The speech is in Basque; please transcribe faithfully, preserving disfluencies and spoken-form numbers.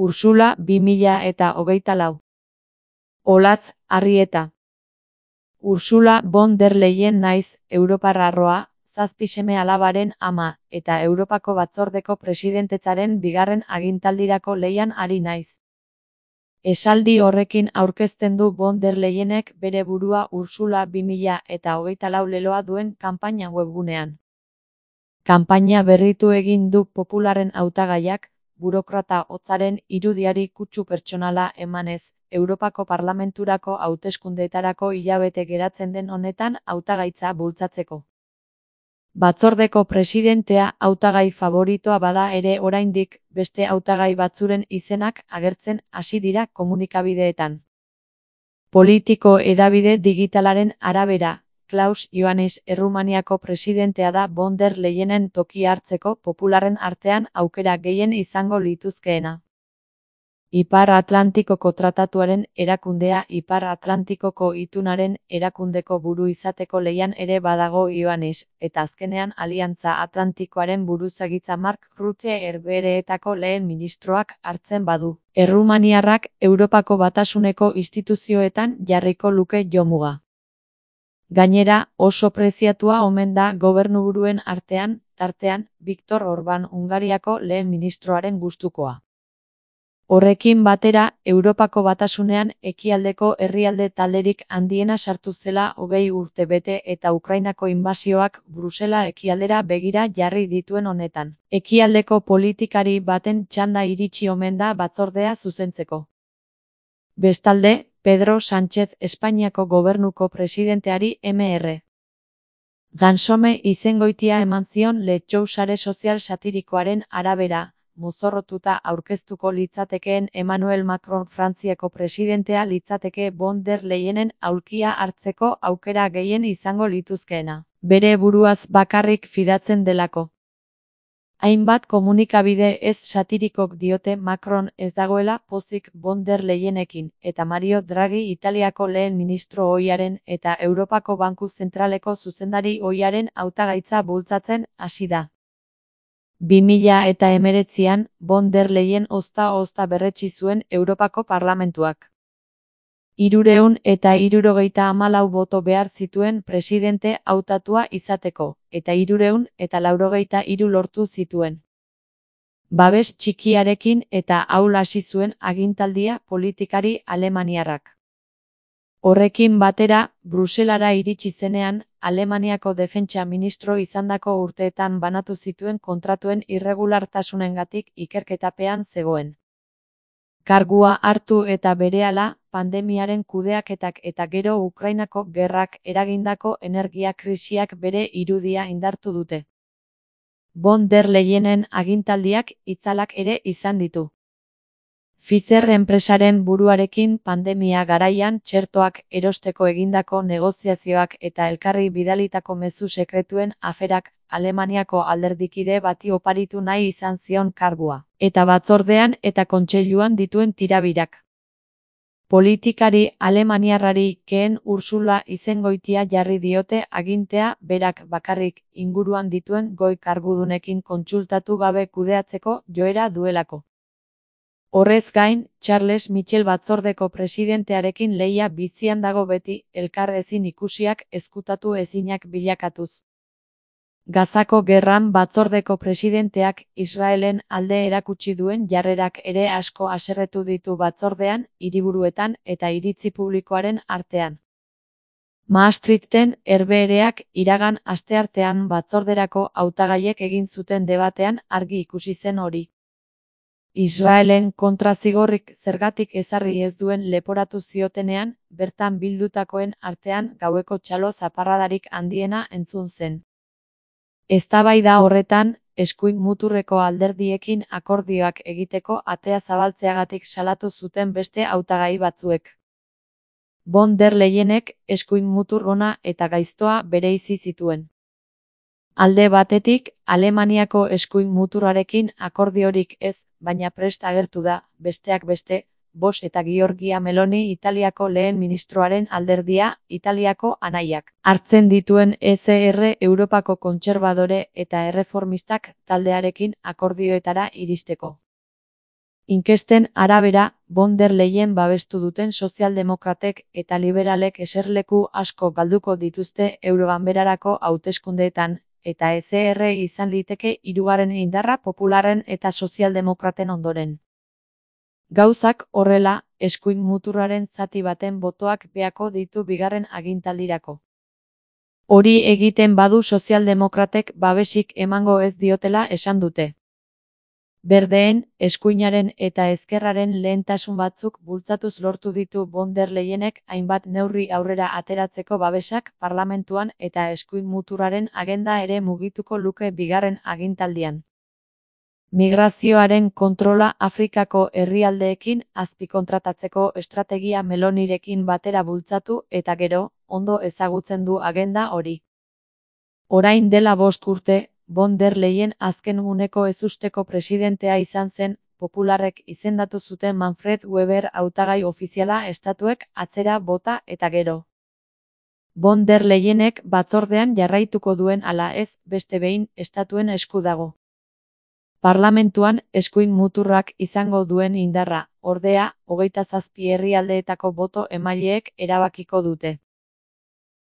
Ursula bi mila eta hogeita lau. Olatz Arrieta. Ursula von der Leyen naiz, europarraroa, zazpi seme alabaren ama, eta Europako Batzordeko presidentetzaren bigarren agintaldirako lehian ari naiz. Esaldi horrekin aurkezten du von der Leyenek bere burua Ursula bi mila eta hogeita lau leloa duen kanpaina webgunean. Kanpaina berritu egin du Popularren hautagaiak, burokrata hotzaren irudiari kutsu pertsonala emanez, Europako Parlamenturako hauteskundeetarako hilabete geratzen den honetan hautagaitza bultzatzeko. Batzordeko presidentea hautagai faboritoa bada ere oraindik, beste hautagai batzuren izenak agertzen hasi dira komunikabideetan. Politiko hedabide digitalaren arabera, Klaus Iohannis Errumaniako presidentea da von der Leyenen tokia hartzeko Popularren artean aukera gehien izango lituzkeena. Ipar Atlantikoko Tratatuaren erakundea Ipar Atlantikoko itunaren erakundeko buru izateko lehian ere badago Iohannis, eta azkenean Aliantza Atlantikoaren buruzagitza Mark Rutte Herbehereetako lehen ministroak hartzen badu. Errumaniarrak Europako Batasuneko instituzioetan jarriko luke jomuga. Gainera, oso preziatua omen da gobernuburuen artean, tartean, Viktor Orban Hungariako lehen ministroaren gustukoa. Horrekin batera, Europako Batasunean ekialdeko herrialde talderik handiena sartu zela hogei urte bete eta Ukrainako inbasioak Brusela ekialdera begira jarri dituen honetan. Ekialdeko politikari baten txanda iritsi omen da batzordea zuzentzeko. Bestalde, Pedro Sánchez Espainiako gobernuko presidenteari eme erre. Gansome izengoitia eman zion Letxou sare sozial satirikoaren arabera, mozorrotuta aurkeztuko litzatekeen Emmanuel Macron Frantziako presidentea litzateke von der Leyenen aulkia hartzeko aukera gehien izango lituzkeena. Bere buruaz bakarrik fidatzen delako. Hainbat komunikabide ez satirikok diote Macron ez dagoela pozik von der Leyenekin, eta Mario Draghi Italiako lehen ministro ohiaren eta Europako Banku Zentraleko zuzendari ohiaren hautagaitza bultzatzen hasi da. bi mila eta hemeretzian, von der Leyen ozta-ozta berretsi zuen Europako Parlamentuak. Hirurehun eta hirurogeita hamalau boto behar zituen presidente hautatua izateko, eta hirurehun eta laurogeita hiru lortu zituen. Babes txikiarekin eta ahul hasi zuen agintaldia politikari alemaniarrak. Horrekin batera, Bruselara iritsi zenean, Alemaniako defentsa ministro izandako urteetan banatu zituen kontratuen irregulartasunengatik ikerketapean zegoen. Kargua hartu eta berehala, pandemiaren kudeaketak eta gero Ukrainako gerrak eragindako energia krisiak bere irudia indartu dute. Von der Leyenen agintaldiak itzalak ere izan ditu. Pfizer enpresaren buruarekin pandemia garaian txertoak erosteko egindako negoziazioak eta elkarri bidalitako mezu sekretuen aferak Alemaniako alderdikide bati oparitu nahi izan zion kargua, eta batzordean eta kontseiluan dituen tirabirak. Politikari alemaniarrari keen Ursula izengoitia jarri diote agintea berak bakarrik inguruan dituen goi kargudunekin kontsultatu gabe kudeatzeko joera duelako. Horrez gain, Charles Michel batzordeko presidentearekin lehia bizian dago beti, elkar ezin ikusiak ezkutatu ezinak bilakatuz. Gazako gerran batzordeko presidenteak Israelen alde erakutsi duen jarrerak ere asko haserretu ditu batzordean, hiriburuetan eta iritzi publikoaren artean. Maastrichten Herbehereak iragan asteartean batzorderako hautagaiek egin zuten debatean argi ikusi zen hori. Israelen kontra zigorrik zergatik ezarri ez duen leporatu ziotenean, bertan bildutakoen artean gaueko txalo zaparradarik handiena entzun zen. Eztabaida horretan, eskuin muturreko alderdiekin akordioak egiteko atea zabaltzeagatik salatu zuten beste hautagai batzuek. Von der Leyenek eskuin mutur ona eta gaiztoa bereizi zituen. Alde batetik, Alemaniako eskuin muturrarekin akordiorik ez, baina prest agertu da, besteak beste, Bosch eta Giorgia Meloni Italiako lehen ministroaren alderdia, Italiako anaiak, hartzen dituen E C R Europako kontserbadore eta erreformistak taldearekin akordioetara iristeko. Inkesten arabera, von der Leyen babestu duten sozialdemokratek eta liberalek eserleku asko galduko dituzte Euroganberarako hauteskundeetan, eta E C R izan liteke hirugarren indarra popularren eta sozialdemokraten ondoren. Gauzak horrela, eskuin muturraren zati baten botoak beako ditu bigarren agintaldirako. Hori egiten badu sozialdemokratek babesik emango ez diotela esan dute. Berdeen, eskuinaren eta ezkerraren lehentasun batzuk bultzatuz lortu ditu von der Leyenek hainbat neurri aurrera ateratzeko babesak parlamentuan eta eskuin muturraren agenda ere mugituko luke bigarren agintaldian. Migrazioaren kontrola Afrikako herrialdeekin azpikontratatzeko estrategia Melonirekin batera bultzatu eta gero, ondo ezagutzen du agenda hori. Orain dela bost urte, von der Leyen azken uneko ezusteko presidentea izan zen, popularrek izendatu zuten Manfred Weber hautagai ofiziala estatuek atzera bota eta gero. Von der Leyenek batzordean jarraituko duen ala ez, beste behin, estatuen esku dago. Parlamentuan eskuin muturrak izango duen indarra, ordea, hogeita zazpi herrialdeetako boto emaileek erabakiko dute.